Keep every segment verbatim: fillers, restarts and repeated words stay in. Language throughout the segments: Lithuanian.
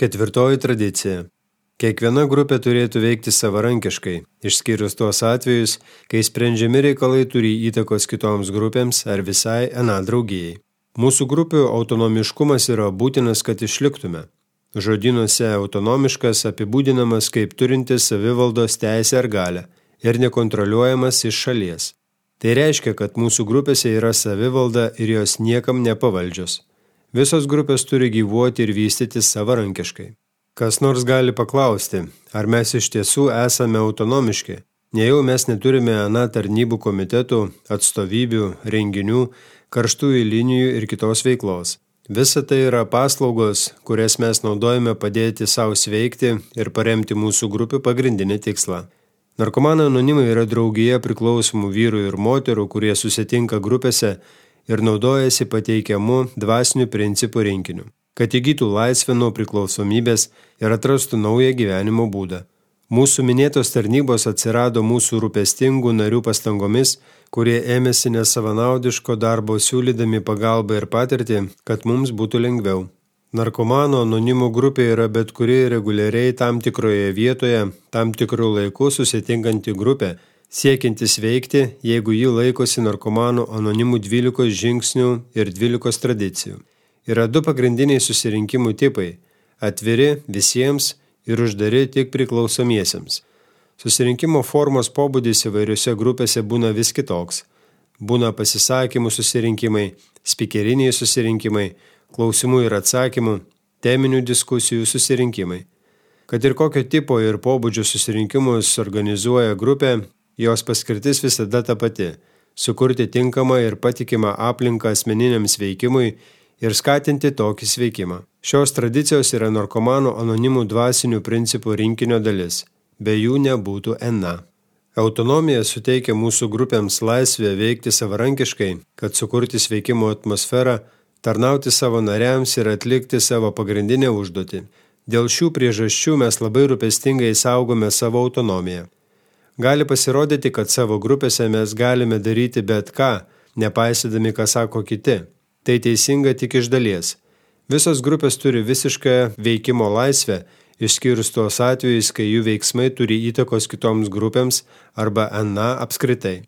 Ketvirtoji tradicija. Kiekviena grupė turėtų veikti savarankiškai, išskyrus tuos atvejus, kai sprendžiami reikalai turi įtakos kitoms grupėms ar visai ana draugijai. Mūsų grupių autonomiškumas yra būtinas, kad išliktume. Žodynuose autonomiškas apibūdinamas kaip turintis savivaldos teisę ar galią ir nekontroliuojamas iš šalies. Tai reiškia, kad mūsų grupėse yra savivalda ir jos niekam nepavaldžios. Visos grupės turi gyvuoti ir vystytis savarankiškai. Kas nors gali paklausti, ar mes iš tiesų esame autonomiški, nejau mes neturime ana tarnybų komitetų, atstovybių, renginių, karštųjų linijų ir kitos veiklos. Visa tai yra paslaugos, kurias mes naudojame padėti savo sveikti ir paremti mūsų grupių pagrindinį tikslą. Narkomanai anonimai yra draugija priklausomų vyrų ir moterų, kurie susitinka grupėse ir naudojasi pateikiamu dvasinių principų rinkiniu, kad įgytų laisvę nuo priklausomybės ir atrastų naują gyvenimo būdą. Mūsų minėtos tarnybos atsirado mūsų rūpestingų narių pastangomis, kurie ėmėsi nesavanaudiško darbo siūlydami pagalbą ir patirtį, kad mums būtų lengviau. Narkomanų anonimų grupė yra bet kuri reguliariai tam tikroje vietoje, tam tikrų laikų susitinkanti grupė, siekiantis veikti, jeigu ji laikosi narkomanų anonimų dvylikos žingsnių ir dvylikos tradicijų. Yra du pagrindiniai susirinkimų tipai – atviri visiems ir uždari tik priklausomiesiems. Susirinkimo formos pobūdis įvairiose grupėse būna vis kitoks. Būna pasisakymų susirinkimai, spikeriniai susirinkimai, klausimų ir atsakymų, teminių diskusijų susirinkimai. Kad ir kokio tipo ir pobūdžio susirinkimus organizuoja grupė, jos paskirtis visada ta pati – sukurti tinkamą ir patikimą aplinką asmeniniams veikimui ir skatinti tokį sveikimą. Šios tradicijos yra narkomanų anonimų dvasinių principų rinkinio dalis. Be jų nebūtų ana. Autonomija suteikia mūsų grupėms laisvę veikti savarankiškai, kad sukurti sveikimo atmosferą, tarnauti savo nariams ir atlikti savo pagrindinę užduotį. Dėl šių priežasčių mes labai rūpestingai saugome savo autonomiją. Gali pasirodyti, kad savo grupėse mes galime daryti bet ką, nepaisydami, ką sako kiti. Tai teisinga tik iš dalies. Visos grupės turi visišką veikimo laisvę, išskyrus tuos atvejus, kai jų veiksmai turi įtakos kitoms grupėms arba ana apskritai.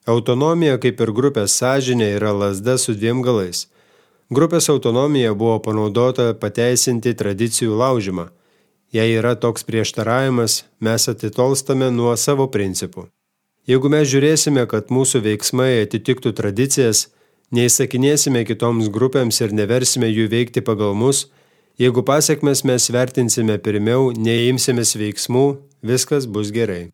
Autonomija, kaip ir grupės sąžinė, yra lazda su dviem galais. Grupės autonomija buvo panaudota pateisinti tradicijų laužimą. Jei yra toks prieštaravimas, mes atitolstame nuo savo principų. Jeigu mes žiūrėsime, kad mūsų veiksmai atitiktų tradicijas, neįsakinėsime kitoms grupėms ir neversime jų veikti pagal mus, jeigu pasekmes mes vertinsime pirmiau, neimsimės veiksmų, viskas bus gerai.